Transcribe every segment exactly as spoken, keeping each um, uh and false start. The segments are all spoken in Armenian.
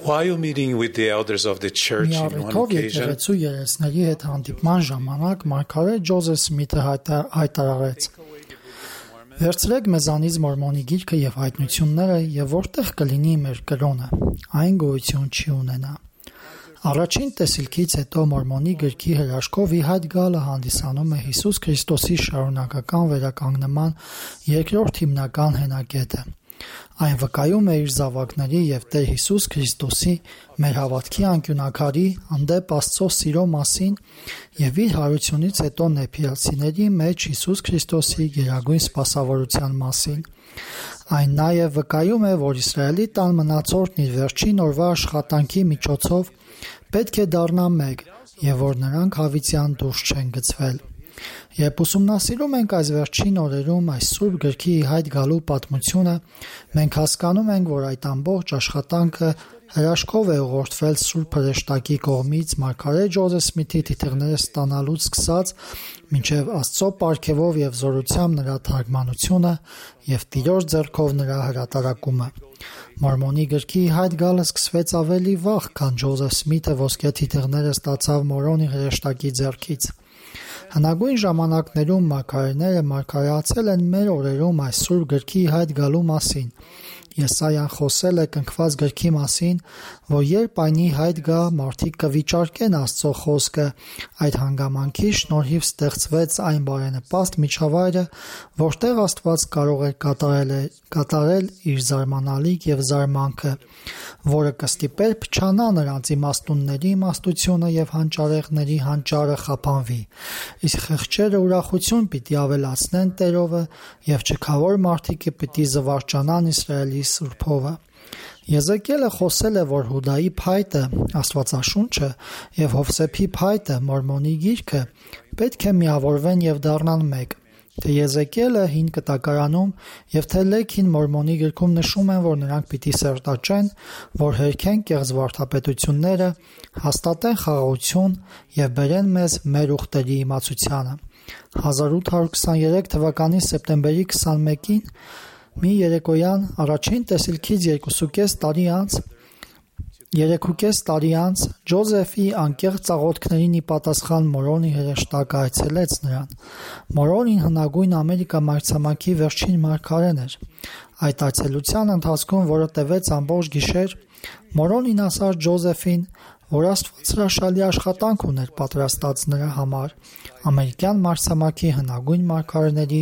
While meeting with the elders of the church Մի in one առիթով occasion, եկեղեցու երեցների հետ հանդիպման ժամանակ մարգարե Ջոզեֆ Սմիթը հայտա- հայտարարեց. Վերցրեք մեզանից մորմոնի գիրքը եւ հայտնությունները եւ որտեղ կլինի մեր կրոնը, այն գոյություն չի ունենա։ Առաջին տեսիլքից հետո մորմոնի գրքի հրաշքով ի հայտ գալը հանդիսանում է Հիսուս Քրիստոսի շարունակական վերականգնման երկրորդ հիմնական հենակետը։ Այն վկայում է իր զավակների եւ Տեր Հիսուս Քրիստոսի մեր հավատքի անկյունակարի հանդեպ Աստծո սիրո մասին եւ իր հարությունից հետո նեփիացիների մեջ Հիսուս Քրիստոսի գերագույն սպասավորության մասին։ Այն նաեւ վկայում է, որ Իսրայելի տան մնացորդն իր վերջին օրվա աշխատանքի միջոցով պետք է դառնա մեկ եւ որ նրանք հավիտյան դուրս չեն գցվել։ Երբ ուսումնասիրում ենք այս վերջին օրերում այս սուրբ գրքի ի հայտ գալու պատմությունը, մենք հասկանում ենք, որ այդ ամբողջ աշխատանքը հրաշքով է ուղղորդվել Սուրբ Հրեշտակի կողմից մարգարե Ջոզեֆ Սմիթի թիթեռները ստանալուց սկսած մինչև Աստծո պարգևով եւ զորությամբ նրա թարգմանությունը եւ Տիրոջ ձեռքով նրա հրատարակումը։ Մորմոնի գրքի ի հայտ գալը սկսվեց ավելի վաղ, քան Ջոզեֆ Սմիթը ոսկե թիթեռները ստացավ Մորոնի հրեշտակի ձեռքից։ Հնագույն ժամանակներում մարգարեները մարգարեացել են մեր օրերում այս սուրբ գրքի ի հայտ գալու մասին։ Եսայան խոսել է կնքված գրքի մասին, որ երբ այն ի հայտ գա, մարդիկ կվիճարկեն Աստծո խոսքը, այդ հանգամանքի շնորհիվ ստեղծվեց այն բարենպաստ միջավայրը, որտեղ Աստված կարող է կատարել, կատարել իր զարմանալիք եւ զարմանքը, որը կստիպեր փչանա նրանց իմաստունների իմաստությունը եւ հանճարեղների հանճարը խափանվի։ Իսկ խեղճերը ուրախություն պիտի ավելացնեն Տերովը եւ չքավոր մարդիկը պիտի զվարճանան Իսրայելի Սուրբովը։ Եզեկիելը խոսել է, որ Հուդայի փայտը, Աստվածաշունչը եւ Հովսեփի փայտը, Մորմոնի գիրքը պետք է միավորվեն եւ դառնան մեկ։ Թե Եզեկիելը հին կտակարանում եւ թե Լեքին Մորմոնի գրքում նշում են, որ նրանք պիտի սերտաճեն, որ հերքեն կեղծ վարդապետությունները, հաստատեն խաղաղություն եւ բերեն մեզ մեր ուխտերի իմացությանը։ հազար ութ հարյուր քսաներեք թվականի սեպտեմբերի քսանմեկին մի երեկոյան առաջին տեսիլքից երկուսուկես տարի անց երեքուկես տարի անց Ջոզեֆի անկեղծ ծաղոթքներին ի պատասխան Մորոնի հրեշտակը այցելեց նրան։ Մորոնին հնագույն Ամերիկա մայրցամաքի վերջին մարգարեն էր։ Այդ այցելության ընթացքում, որը տևեց ամբողջ գիշեր, Մորոնին ասաց Ջոզեֆին, որ Աստված հրաշալի աշխատանք ուներ պատրաստած նրա համար, ամերիկյան մայրցամաքի հնագույն մարգարեների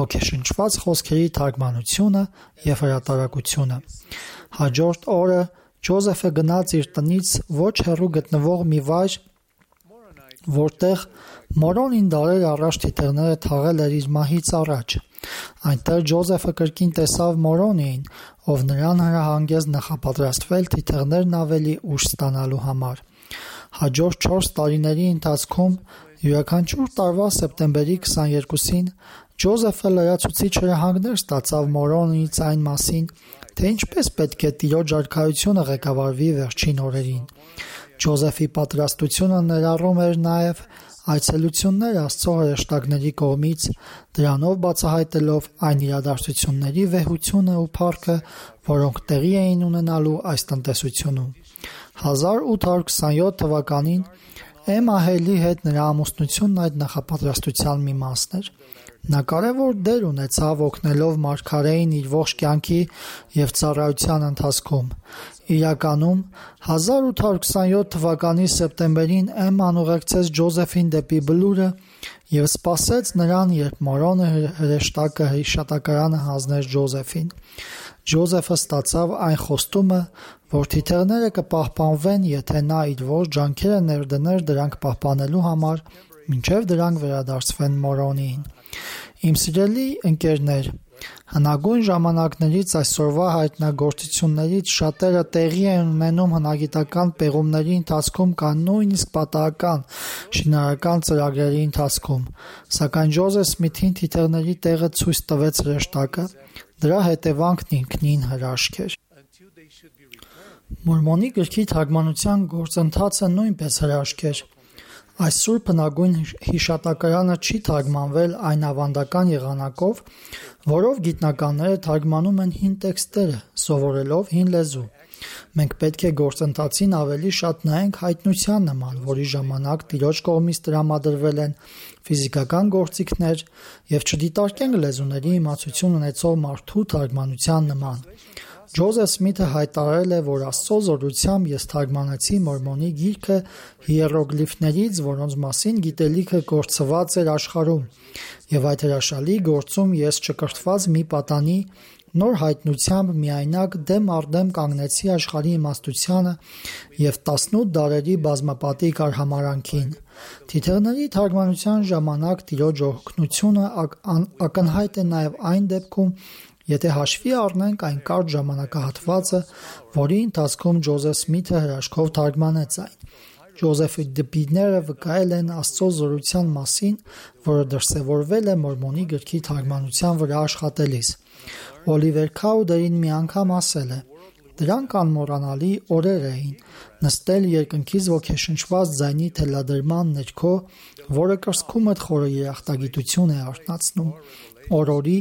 ոգեշնչված խոսքերի թարգմանությունը եւ հրատարակությունը։ Հաջորդ օրը Ջոզեֆը գնաց իր տնից ոչ հեռու գտնվող մի վայր, որտեղ Մորոնին դարեր առաջ թիթեռները թաղել էր իր մահից առաջ։ Այնտեղ Ջոզեֆը կրկին տեսավ Մորոնին, ով նրան հրահանգեց նախապատրաստվել թիթեռներն ավելի ուշ ստանալու համար։ Հաջորդ չորս տարիների ընթացքում յուրաքանչյուր տարվա սեպտեմբերի քսաներկուսին Ջոզեֆը լրացուցիչ հրահանգներ ստացավ Մորոնից այն մասին, թե ինչպես պետք է Տիրոջ արքայությունը ղեկավարվի վերջին օրերին։ Ջոզեֆի պատրաստությունը ներառում էր նաև այցելություններ Աստծո հրեշտակների կողմից, դրանով բացահայտելով այն իրադարձությունների վեհությունը ու փառքը, որոնք տեղի էին ունենալու այս տնտեսությունում։ հազար ութ հարյուր քսաներեք թվականին Էմ Ահելի հետ նրա ամուսնությունն այդ նախապատրաստության մի մասն էր։ Նա կարևոր դեր ունեցավ օգնելով մարգարեին իր ողջ կյանքի եւ ծառայության ընթացքում։ Իրականում հազար ութ հարյուր քսաներեք թվականի սեպտեմբերին Էմման ուղեկցեց Ջոզեֆին դեպի բլուրը եւ սպասեց նրան, երբ Մորոնը հրեշտակը հիշատակարանը հանձնեց Ջոզեֆին։ Ջոզեֆը ստացավ այն խոստումը, որ թիթեռները կպահպանվեն, եթե նա իր ողջ ջանքերը ներդներ դրանք պահպանելու համար, մինչև դրանք վերադարձվեն Մորոնին։ Իմ սիրելի ընկերներ, հնագույն ժամանակներից այսօրվա հայտնագործություններից շատերը տեղի են ունենում հնագիտական պեղումների ընթացքում կամ նույնիսկ պատահական շինարարական ծրագրերի ընթացքում, սակայն Ջոզեֆ Սմիթին թիթեռների տեղը ցույց տվեց հրեշտակը, դրա հետևանքն ինքնին հրաշք էր։ Մորմոնի գրքի թարգմանության գործընթացը նույնպես հրաշք էր։ Այս սուրբ հնագույն հիշատակարանը չի թարգմանվել այն ավանդական եղանակով, որով գիտնականները թարգմանում են հին տեքստերը, սովորելով հին լեզու։ Մենք պետք է գործընթացին ավելի շատ նայենք հայտնության նման, որի ժամանակ Տիրոջ կողմից տրամադրվել են ֆիզիկական գործիքներ եւ չդիտարկենք լեզուների իմացություն ունեցող մարդու թարգմանության նման։ Ջոզեֆ Սմիթը հայտարարել է, որ Աստծո զորությամբ ես թարգմանեցի Մորմոնի գիրքը հիերոգլիֆներից, որոնց մասին գիտելիքը կորցված էր աշխարհում, եւ այդ հրաշալի գործում ես չկրթված մի պատանի նոր հայտնությամբ միայնակ դեմ առ դեմ կանգնեցի աշխարհի իմաստությանը եւ տասնութ դարերի բազմապատիկ արհամարանքին։ Թիթեղների թարգմանության ժամանակ Տիրոջ օգնությունը ակնհայտ է նաեւ այն դեպքում, եթե հաշվի առնենք այն կարճ ժամանակահատվածը, որի ընթացքում Ջոզեֆ Սմիթը հրաշքով թարգմանեց այն։ Ջոզեֆի դպիրները վկայել են Աստծո զորության մասին, որը դրսևորվել է Մորմոնի գրքի թարգմանության վրա աշխատելիս։ Օլիվեր Քաուդերին մի անգամ ասել է. «Դրանք անմոռանալի օրեր էին, նստել երկնքից ոգեշնչված ձայնի թելադրման ներքո, որը կրծքումդ խորը երախտագիտություն է արթնացնում։ Օր-օրի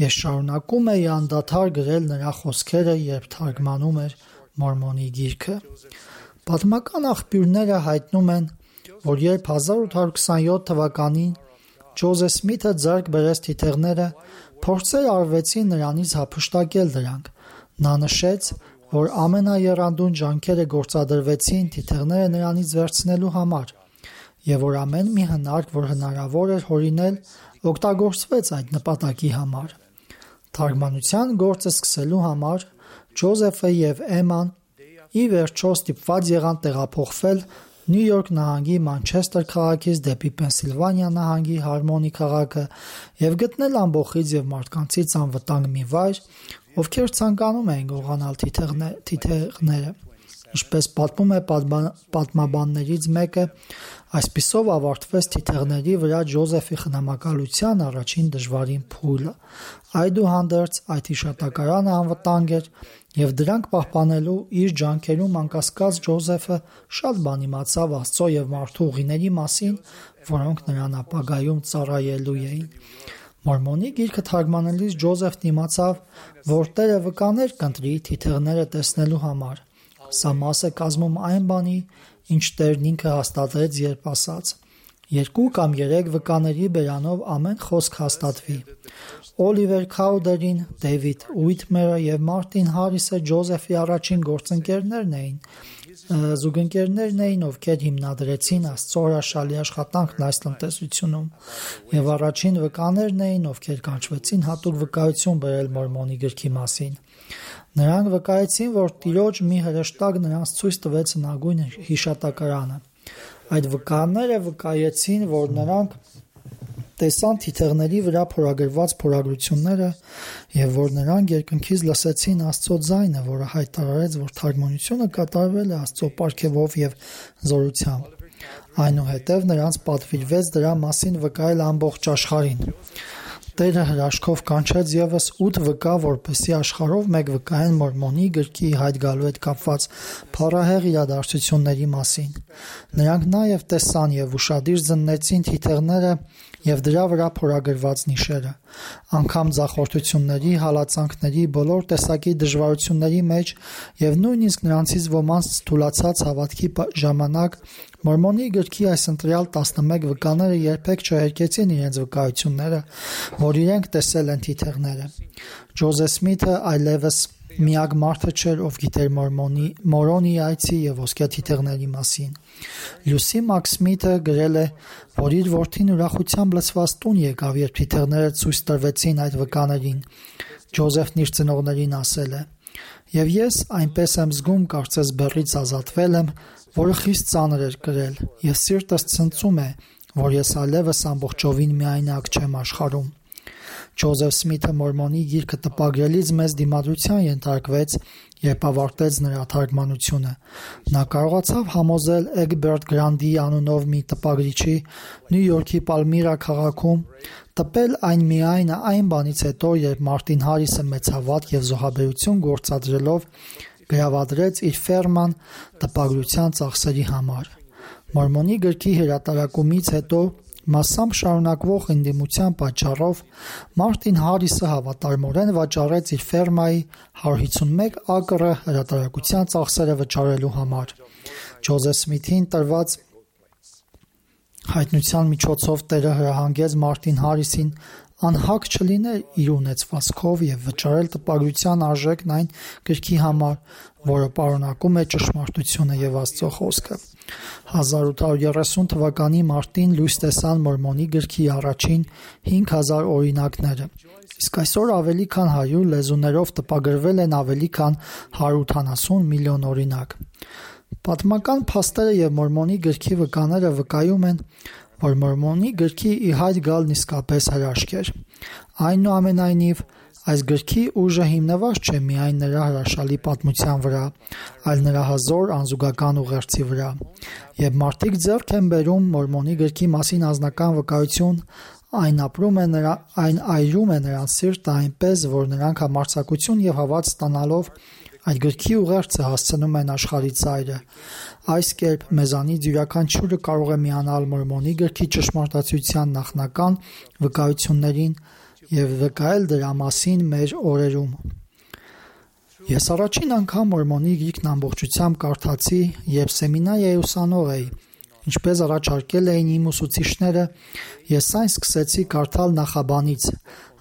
ես շարունակում էի անդադար գրել նրա խոսքերը, երբ թարգմանում էր Մորմոնի գիրքը»։ Պատմական աղբյուրները հայտնում են, որ երբ հազար ութ հարյուր քսանյոթ թվականին Ջոզեֆ Սմիթը ձեռք բերեց թիթեղները, փորձեր արվեցին նրանից հափշտակել դրանք։ Նա նշեց, որ ամենաեռանդուն ջանքերը գործադրվեցին թիթեղները նրանից վերցնելու համար, եւ որ ամեն մի հնարք, որ հնարավոր էր հորինել, օգտագործվեց այդ նպատակի համար։ Թարգմանության գործը սկսելու համար Ջոզեֆը եւ Էման ի վերջո ստիպված եղան տեղափոխվել Նյու Յորք նահանգի Մանչեսթեր քաղաքից դեպի Պենսիլվանիա նահանգի Հարմոնի քաղաքը եւ գտնել ամբոխից եւ մարդկանցից անվտանգ մի վայր, ովքեր ցանկանում էին գողանալ թիթեղները։ Ինչպես պատմում է պատմաբաններից մեկը, այսպիսով ավարտվեց թիթեղների վրա Ջոզեֆի խնամակալության առաջին դժվարին փուլը։ Այդուհանդերձ այդ հիշատակարանը անվտանգ էր, եւ դրանք պահպանելու իր ջանքերում անկասկած Ջոզեֆը շատ բան իմացավ Աստծո եւ մարդու ուղիների մասին, որոնք նրան ապագայում ծառայելու էին։ Մորմոնի գիրքը թարգմանելիս Ջոզեֆն իմացավ, որ Տերը վկաներ կընտրի թիթեղները տեսնելու համար։ Սա մաս է կազմում այն բանի, ինչ Տերն ինքը հաստատեց, երբ ասաց. «Երկու կամ երեք վկաների բերանով ամեն խոսք հաստատվի»։ Օլիվեր Քաուդերին, Դեյվիդ Ուիթմերը եւ Մարտին Հարիսը Ջոզեֆի առաջին գործընկերներն էին, զուգընկերներն էին, ովքեր հիմնադրեցին Աստծո հրաշալի աշխատանքն այս տնտեսությունում, եւ առաջին վկաներն էին, ովքեր կանչվեցին հատուկ վկայություն բերել Մորմոնի գրքի մասին։ Նրանք վկայեցին, որ Տիրոջ մի հրեշտակ նրանց ցույց տվեց հնագույն հիշատակարանը։ Այդ վկաները վկայեցին, որ նրանք տեսան թիթեղների վրա փորագրված փորագրությունները եւ որ նրանք երկնքից լսեցին Աստծո ձայնը, որը հայտարարեց, որ թարգմանությունը կատարվել է Աստծո պարգևով եւ զորությամբ։ Այնուհետև նրանց պատվիրվեց դրա մասին վկայել ամբողջ աշխարհին։ Տերը հրաշքով կանչեց եւս ութ վկա, որպեսզի աշխարհով մեկ վկայեն Մորմոնի գրքի հայտ գալու հետ կապված փառահեղ իրադարձությունների մասին։ Նրանք նաեւ տեսան եւ ուշադիր զննեցին թիթեղները եւ դրա վրա փորագրված նիշերը։ Անգամ ձախորդությունների, հալածանքների, բոլոր տեսակի դժվարությունների մեջ եւ նույնիսկ նրանցից ոմանց թուլացած հավատքի ժամանակ Մորմոնի գրքի այս ընտրյալ տասնմեկ վկաները երբեք չհերկեցին իրենց վկայությունները, որ իրենք տեսել են թիթեղները։ Ջոզեֆ Սմիթը այլևս միակ մարդը չէր, ով գիտեր Մորմոնի Մորոնի այցի եւ ոսկե թիթեղների մասին։ Լյուսի Մակ Սմիթը գրել է, որ իր որդին ուրախությամբ լցված տուն եկավ, երբ թիթեղները ցույց տրվեցին այդ վկաներին։ Ջոզեֆն իր ծնողներին ասել է. «Եվ ես այնպես եմ զգում, կարծես բեռից ազատվել եմ, որը խիստ ծանր էր կրել, եւ սիրտս ցնծում է, որ ես այլևս ամբողջովին միայնակ չեմ աշխարհում»։ Ջոզեֆ Սմիթը Մորմոնի գիրքը տպագրելիս մեծ դիմադրության ենթարկվեց, երբ ավարտեց նրա թարգմանությունը։ Նա կարողացավ համոզել Էգբերտ Գրանտի անունով մի տպագրիչի Նյու Յորքի Պալմիրա քաղաքում տպել այն միայն այն բանից հետո, երբ Մարտին Հարիսը մեծ հավատք եւ զոհաբերություն գործադրելով գրավադրեց իր ֆերման տպագրության ծախսերի համար։ Մորմոնի գրքի հրատարակումից հետո մասամբ շարունակվող ընդդիմության պատճառով Մարտին Հարիսը հավատարմորեն վաճառեց իր ֆերմայի հարյուր հիսունմեկ ակռը հրատարակության ծախսերը վճարելու համար։ Ջոզեֆ Սմիթին տրված հայտնության միջոցով Տերը հրահանգեց Մարտին Հարիսին անհակ չլիներ իր ունեցվածքով և վճարել տպագրության արժեքն այն գրքի համար, որը պարունակում է ճշմարտությունը և Աստծո խոսքը։ հազար ութ հարյուր երեսուն թվականի մարտին լույս տեսան Մորմոնի գրքի առաջին հինգ հազար օրինակները, իսկ այսօր ավելի քան հարյուր լեզուներով տպագրվել են ավելի քան հարյուր ութանասուն միլիոն օրինակ։ Պատմական փաստերը և Մորմոնի գրքի վկաները վկայում են, որ Մորմոնի գրքի ի հայտ գալն իսկապես հրաշք էր։ Այնուամենայնիվ, այս գրքի ուժը հիմնված չէ միայն նրա հրաշալի պատմության վրա, այլ նրա հզոր անզուգական ուղերձի վրա։ Երբ մարդիկ ձեռք են բերում Մորմոնի գրքի մասին անձնական վկայություն, այն ապրում է նրա, այն այրում է նրանց սիրտը այնպես, որ նրանք համարձակություն և հավատ ստանալով այդ գրքի ուղերձը հասցնում են աշխարհի ծայրը։ Այս կերպ մեզանից յուրաքանչյուրը կարող է միանալ Մորմոնի գրքի ճշմարտացիության նախնական վկայություններին և վկայել դրա մասին մեր օրերում։ Ես առաջին անգամ Մորմոնի գիրքն ամբողջությամբ կարդացի, երբ սեմինարիայի ուսանող էի, ինչպես առաջարկել էին իմ ուսուցիչները, ես այն սկսեցի կարդալ նախաբանից։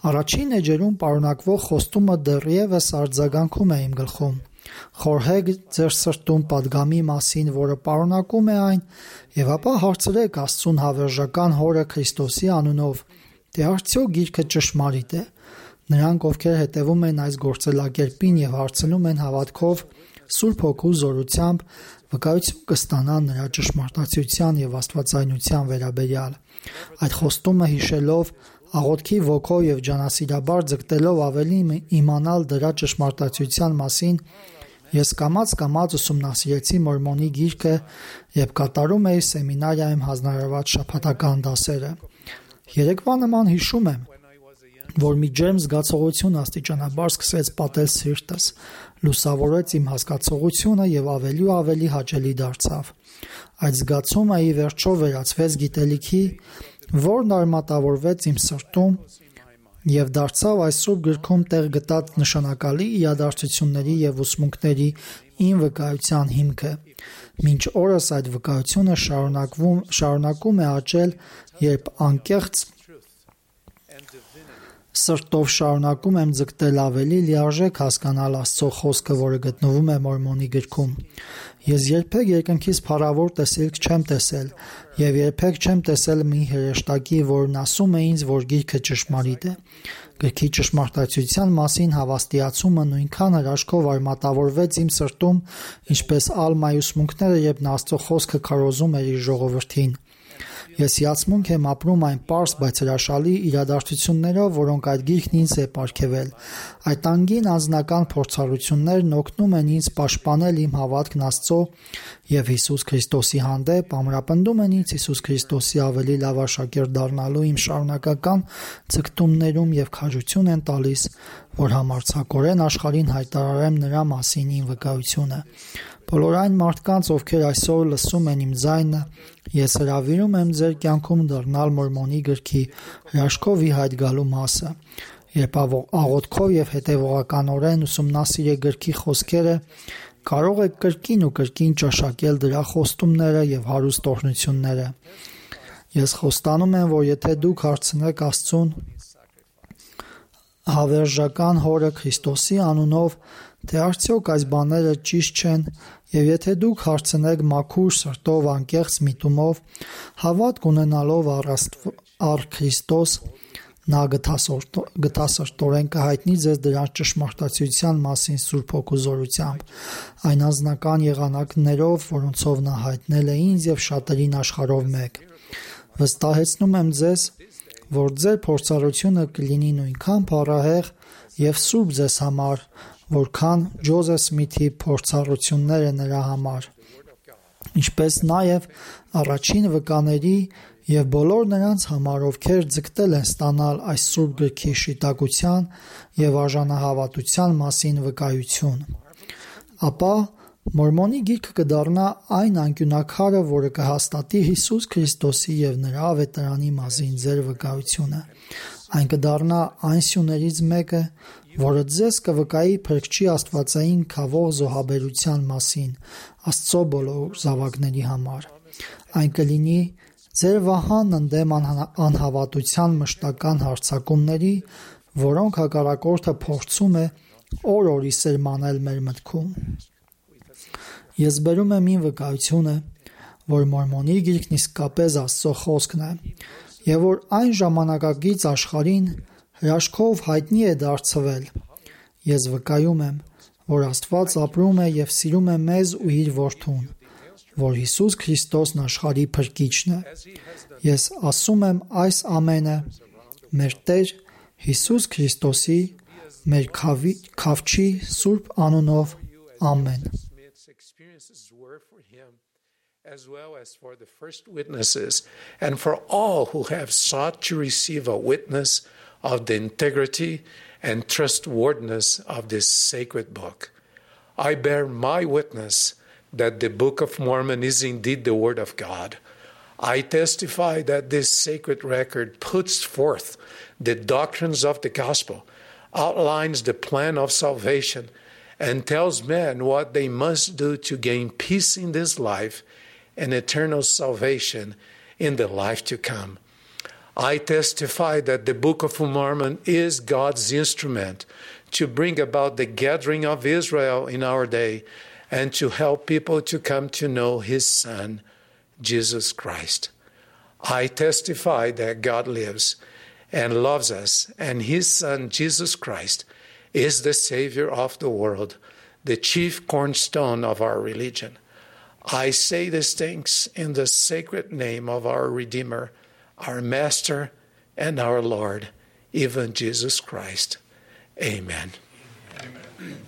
Առաջին էջերում պարունակվող խոստումը դեռևս արձագանքում է իմ գլխում։ Խորհեք ձեր սրտում պատգամի մասին, որը պարունակում է այն, և ապա հարցրեք Աստծուն հավերժական Հորը Քրիստոսի անունով, թե արդյոք գիրքը ճշմարիտ է։ Նրանք, ովքեր հետևում են այս գործելակերպին և հարցնում են հավատքով, Սուրբ Հոգու զորությամբ, վկայություն կստանան նրա ճշմարտացիության և աստվածայնության վերաբերյալ։ Այդ խոստումը հիշելով, աղոթքի ոգով և ջանասիրաբար ձգտելով ավելի իմանալ դրա ճշմարտացիության մասին, ես կամաց-կամաց ուսումնասիրեցի Մորմոնի գիրքը, երբ կատարում էի սեմինարիայում հանձնարարված շաբաթական դասերը։ Երեկվա նման հիշում եմ, որ մի ջերմ զգացողություն աստիճանաբար սկսեց պատել սիրտս, լուսավորեց իմ հասկացողությունը և ավելի ու ավելի հաճելի դարձավ։ Այդ զգացումը ի վերջո վերածվեց գիտելիքի, որն արմատավորվեց իմ սրտում և դարձավ այս Սուրբ գրքում տեղ գտած նշանակալի իրադարձությունների և ուսմունքների իմ վկայության հիմքը։ Մինչ օրս այդ վկայությունը շարունակվում, շարունակում է աճել, երբ անկեղծ սրտով շարունակում եմ ձգտել ավելի լիարժեք հասկանալ Աստծո խոսքը, որը գտնվում է Մորմոնի գրքում։ Ես երբեք երկնքից փառավոր տեսիլք չեմ տեսել, և երբեք չեմ տեսել մի հրեշտակի, որն ասում է ինձ, որ գիրքը ճշմարիտ է։ Գրքի ճշմարտացիության մասին հավաստիացումը նույնքան հրաշքով արմատավորվեց իմ սրտում, ինչպես Ալմայի ուսմունքները, երբ նա Աստծո խոսքը քարոզում էր իր ժողովրդին։ Ես հիացմունք եմ ապրում այն պարզ, բայց հրաշալի իրադարձություններով, որոնք այդ գիրքն ինձ է պարգևել։ Այդ անգին անձնական փորձառություններն օգնում են ինձ պաշտպանել իմ հավատքն Աստծո և Հիսուս Քրիստոսի հանդեպ, ամրապնդում են ինձ Հիսուս Քրիստոսի ավելի լավ աշակերտ դառնալու իմ շարունակական ձգտումներում և քաջություն են տալիս, որ համարձակորեն աշխարհին հայտարարեմ նրա մասին իմ վկայությունը։ Բոլոր այն մարդկանց, ովքեր այսօր լսում են իմ ձայնը, ես հրավիրում եմ ձեր կյանքում դառնալ Մորմոնի գրքի հրաշքով ի հայտ գալու մասը։ Երբ աղոթքով և հետևողականորեն ուսումնասիրեք գրքի խոսքերը, կարող եք կրկին ու կրկին ճաշակել դրա խոստումները և հարուստ օրհնությունները։ Ես խոստանում եմ, որ եթե դուք հարցնեք Աստծուն հավերժական Հորը Քրիստոսի անունով, թե արդյոք այս բաները ճիշտ չեն, և եթե դուք հարցնեք մաքուր սրտով, անկեղծ միտումով, հավատք ունենալով առ Քրիստոս, նա գթասրտորեն կհայտնի ձեզ դրանց ճշմարտացիության մասին Սուրբ Հոգու զորությամբ, այն անձնական եղանակներով, որոնցով նա հայտնել է ինձ և շատերին աշխարհով մեկ։ Վստահեցնում եմ ձեզ, որ ձեր փորձառությունը կլինի նույնքան փառահեղ և սուրբ ձեզ համար, որքան Ջոզեֆ Սմիթի փորձառությունները նրա համար, ինչպես նաև առաջին վկաների և բոլոր նրանց համար, ովքեր ձգտել են ստանալ այս Սուրբ գրքի շիտակության և արժանահավատության մասին վկայություն։ Ապա Մորմոնի գիրքը կդառնա այն անկյունակարը, որը կհաստատի Հիսուս Քրիստոսի եւ նրա ավետարանի մասին ձեր վկայությունը։ Այն կդառնա այն սյուներից մեկը, որը ձեզ կվկայի Փրկչի աստվածային քավող զոհաբերության մասին Աստծո բոլոր զավակների համար։ Այն կլինի ձեր վահանն ընդդեմ անհավատության մշտական հարձակումների, որոնք հակառակորդը փորձում է օր-օրի սերմանել մեր մտքում։ Ես բերում եմ ին վկայությունը, որ Մորմոնի գիրքն իսկապես Աստծո խոսքն է, եւ որ այն ժամանակակից աշխարհին հրաշքով հայտնի է դարձվել։ Ես վկայում եմ, որ Աստված ապրում է եւ սիրում է մեզ ու իր որդուն, որ Հիսուս Քրիստոսն աշխարհի փրկիչն է։ Ես ասում եմ այս ամենը մեր Տեր Հիսուս Քրիստոսի, մեր Քավչի սուրբ անունով, ամեն։ As well as for the first witnesses, and for all who have sought to receive a witness of the integrity and trustworthiness of this sacred book. I bear my witness that the Book of Mormon is indeed the Word of God. I testify that this sacred record puts forth the doctrines of the gospel, outlines the plan of salvation, and tells men what they must do to gain peace in this life and eternal salvation in the life to come. I testify that the Book of Mormon is God's instrument to bring about the gathering of Israel in our day and to help people to come to know His Son, Jesus Christ. I testify that God lives and loves us, and His Son, Jesus Christ, is the Savior of the world, the chief cornerstone of our religion. I say these things in the sacred name of our Redeemer, our Master, and our Lord, even Jesus Christ. Amen. Amen.